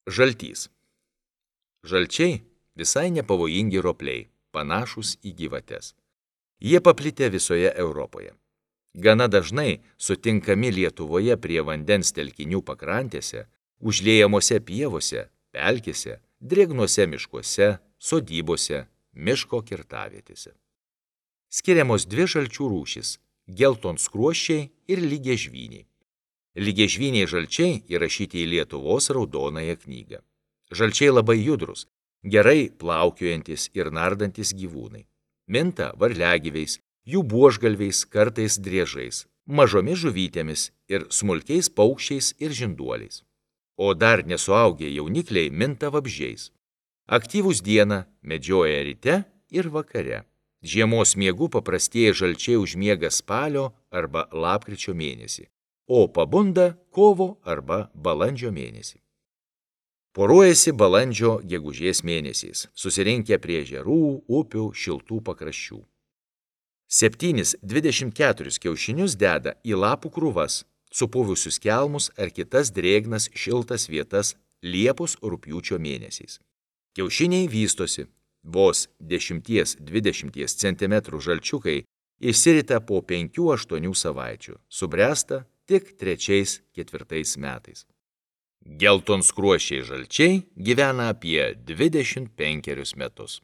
Žaltys. Žalčiai visai nepavojingi ropliai, panašūs į gyvates. Jie paplitę visoje Europoje. Gana dažnai sutinkami Lietuvoje prie vandens telkinių pakrantėse, užliejamose pievose, pelkėse, drėgnuose miškuose, sodybose, miško kirtavietėse. Skiriamos dvi žalčių rūšys – geltonskruosčiai ir lygiažvyniai. Lygiažvyniai žalčiai įrašyti į Lietuvos raudonąją knygą. Žalčiai labai judrus, gerai plaukiojantis ir nardantis gyvūnai. Minta varliagyviais, jų buožgalviais, kartais driežais, mažomis žuvytėmis ir smulkiais paukščiais ir žinduoliais. O dar nesuaugę jaunikliai minta vabzdžiais. Aktyvūs dieną, medžioja ryte ir vakare. Žiemos miegų paprastieji žalčiai užmiega spalio arba lapkričio mėnesį, o pabunda kovo arba balandžio mėnesį. Poruojasi balandžio gegužės mėnesiais, susirinkę prie ežerų, upių, šiltų pakraščių. 7-24 kiaušinius deda į lapų krūvas, supuvusius kelmus ar kitas drėgnas šiltas vietas Liepos-rugpjūčio mėnesiais. Kiaušiniai vystosi, vos 10-20 cm žalčiukai išsirita po 5-8 savaičių, subręsta tik 3-4 metais. Geltonskruosčiai žalčiai gyvena apie 25 metus.